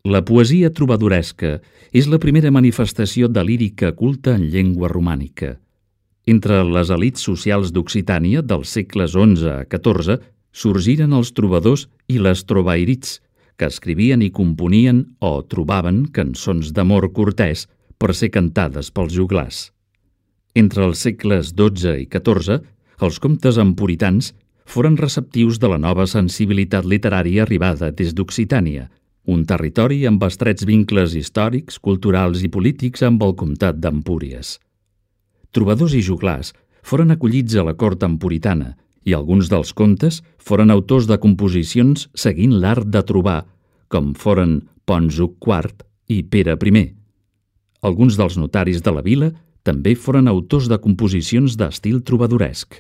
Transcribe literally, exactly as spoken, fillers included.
La poesia trobadoresca és la primera manifestació de lírica culta en llengua romànica. Entre les elits socials d'Occitània dels segles onze a catorze sorgiren els trobadors i les trovairits, que escrivien i componien o trobaven cançons d'amor cortès per ser cantades pels joglars. Entre els segles dotze i catorze, els comtes emporitans foren receptius de la nova sensibilitat literària arribada des d'Occitània, un territori amb estrets vincles històrics, culturals i polítics amb el comtat d'Empúries. Trobadors i joglars foren acollits a la cort empuritana i alguns dels comtes foren autors de composicions seguint l'art de trobar, com foren Ponsuc quart i Pere primer. Alguns dels notaris de la vila també foren autors de composicions d'estil trobadoresc.